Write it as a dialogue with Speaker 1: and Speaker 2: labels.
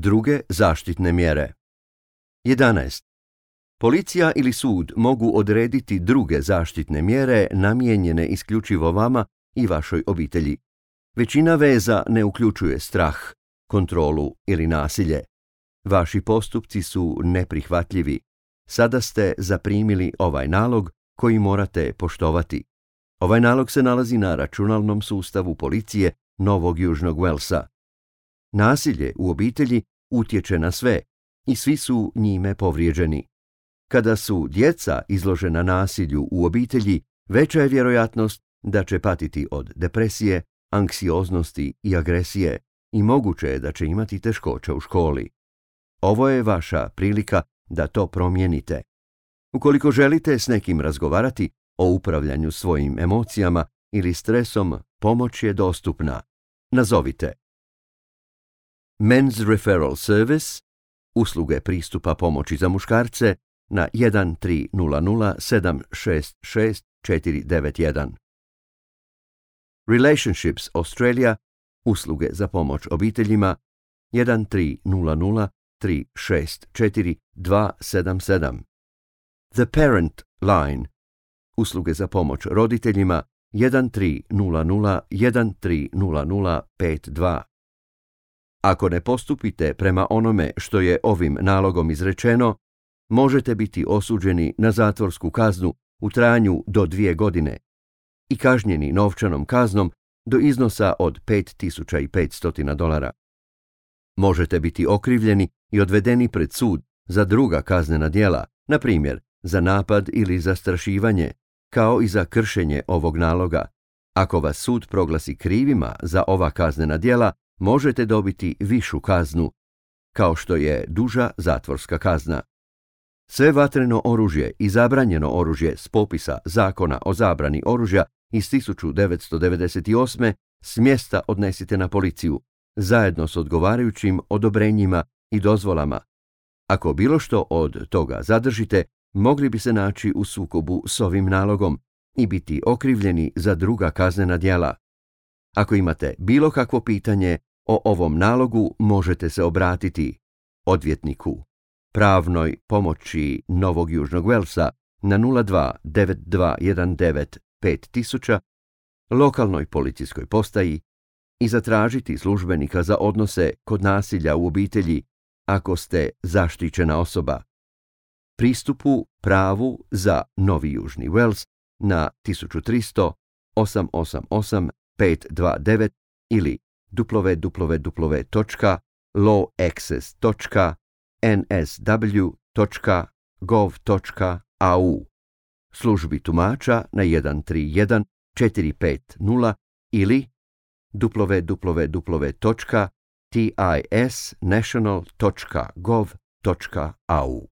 Speaker 1: Druge zaštitne mjere. 11. Policija ili sud mogu odrediti druge zaštitne mjere namijenjene isključivo vama i vašoj obitelji. Većina veza ne uključuje strah, kontrolu ili nasilje. Vaši postupci su neprihvatljivi. Sada ste zaprimili ovaj nalog koji morate poštovati. Ovaj nalog se nalazi na računalnom sustavu policije Novog Južnog Walesa. Nasilje u obitelji utječe na sve i svi su njime povrijeđeni. Kada su djeca izložena nasilju u obitelji, veća je vjerojatnost da će patiti od depresije, anksioznosti i agresije i moguće je da će imati teškoća u školi. Ovo je vaša prilika da to promijenite. Ukoliko želite s nekim razgovarati o upravljanju svojim emocijama ili stresom, pomoć je dostupna. Nazovite Men's Referral Service, usluge pristupa pomoći za muškarce, na 1-300-766-491. Relationships Australia, usluge za pomoć obiteljima, 1-300-364-277. The Parent Line, usluge za pomoć roditeljima, 1-300-1300-52. Ako ne postupite prema onome što je ovim nalogom izrečeno, možete biti osuđeni na zatvorsku kaznu u trajanju do 2 godine i kažnjeni novčanom kaznom do iznosa od $5.500. Možete biti okrivljeni i odvedeni pred sud za druga kaznena djela, na primjer za napad ili zastrašivanje, kao i za kršenje ovog naloga. Ako vas sud proglasi krivima za ova kaznena djela, možete dobiti višu kaznu, kao što je duža zatvorska kazna. Sve vatreno oružje i zabranjeno oružje s popisa Zakona o zabrani oružja iz 1998. s mjesta odnesite na policiju, zajedno s odgovarajućim odobrenjima i dozvolama. Ako bilo što od toga zadržite, mogli bi se naći u sukobu s ovim nalogom i biti okrivljeni za druga kaznena djela. Ako imate bilo kakvo pitanje o ovom nalogu, možete se obratiti odvjetniku pravnoj pomoći Novog Južnog Walesa na 02-9219-5000, lokalnoj policijskoj postaji i zatražiti službenika za odnose kod nasilja u obitelji ako ste zaštićena osoba. Pristupu pravu za Novi Južni Wales na 1300 888 529 ili www.lawaccess.nsw.gov.au, službi tumača na 131 450 ili www.tisnational.gov.au.